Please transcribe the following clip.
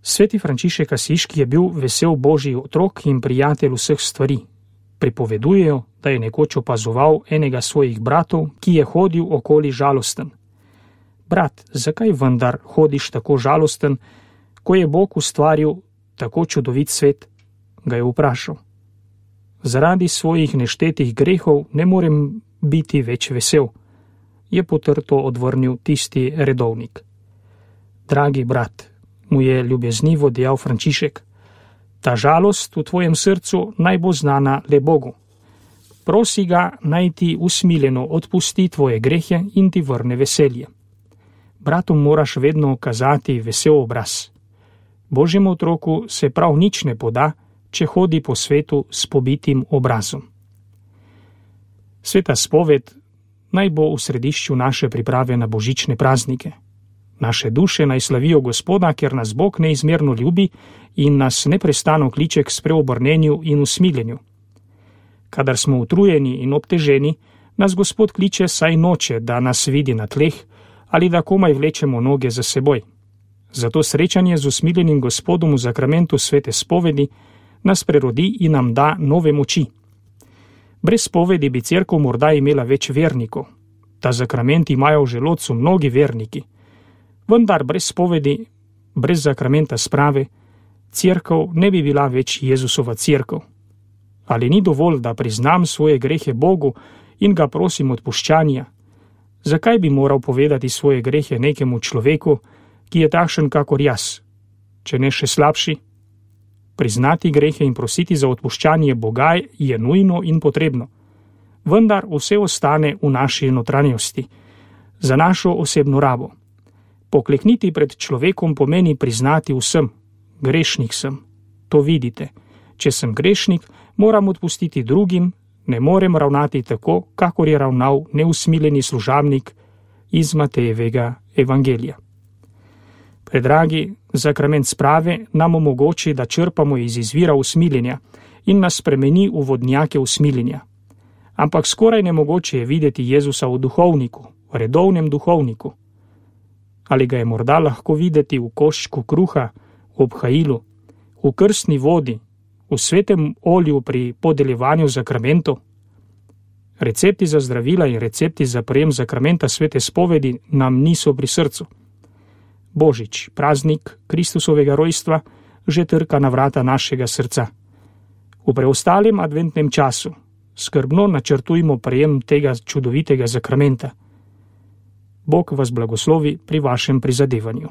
Sveti Frančišek Asiški je bil vesel božji otrok in prijatelj vseh stvari. Pripovedujejo, da je nekoč opazoval enega svojih bratov, ki je hodil okoli žalosten. Brat, zakaj vendar hodiš tako žalosten, ko je Bog ustvaril tako čudovit svet? Ga je vprašal. Zaradi svojih neštetih grehov ne morem biti več vesel, je potrto odvrnil tisti redovnik. Dragi brat, mu je ljubeznivo dejal Frančišek, ta žalost v tvojem srcu naj bo znana le Bogu. Prosi ga, naj ti usmiljeno odpusti tvoje grehe in ti vrne veselje. Bratom moraš vedno kazati vesel obraz. Božjemu otroku se prav nič ne poda, če hodi po svetu s pobitim obrazom. Sveta spoved naj bo v središču naše priprave na božične praznike. Naše duše naj slavijo Gospoda, ker nas Bog neizmerno ljubi in nas neprestano kliče k spreobrnenju in usmiljenju. Kadar smo utrujeni in obteženi, nas Gospod kliče, saj noče, da nas vidi na tleh ali da komaj vlečemo noge za seboj. Zato srečanje z usmiljenim Gospodom v zakramentu svete spovedi nas prerodi in nam da nove moči. Brez spovedi bi cerkev morda imela več vernikov. Ta zakrament imajo v želodcu mnogi verniki. Vendar brez spovedi, brez zakramenta sprave, cerkev ne bi bila več Jezusova cerkev. Ali ni dovolj, da priznam svoje grehe Bogu in ga prosim odpuščanja? Zakaj bi moral povedati svoje grehe nekemu človeku, ki je takšen kakor jaz, če ne še slabši? Priznati grehe in prositi za odpuščanje Boga je nujno in potrebno. Vendar vse ostane v naši notranjosti, za našo osebno rabo. Poklekniti pred človekom pomeni priznati vsem, grešnik sem. To vidite. Če sem grešnik, moram odpustiti drugim, ne morem ravnati tako, kakor je ravnal neusmiljeni služabnik iz Matejevega evangelija. Predragi, zakrament sprave nam omogoči, da črpamo iz izvira usmiljenja in nas spremeni v vodnjake usmiljenja. Ampak skoraj nemogoče je videti Jezusa v duhovniku, v redovnem duhovniku. Ali ga je morda lahko videti v koščku kruha, v obhajilu, v krstni vodi, v svetem olju pri podeljevanju zakramentov? Recepti za zdravila in recepti za prejem zakramenta svete spovedi nam niso pri srcu. Božič, praznik Kristusovega rojstva, že trka na vrata našega srca. V preostalem adventnem času skrbno načrtujmo prejem tega čudovitega zakramenta. Bog vas blagoslovi pri vašem prizadevanju.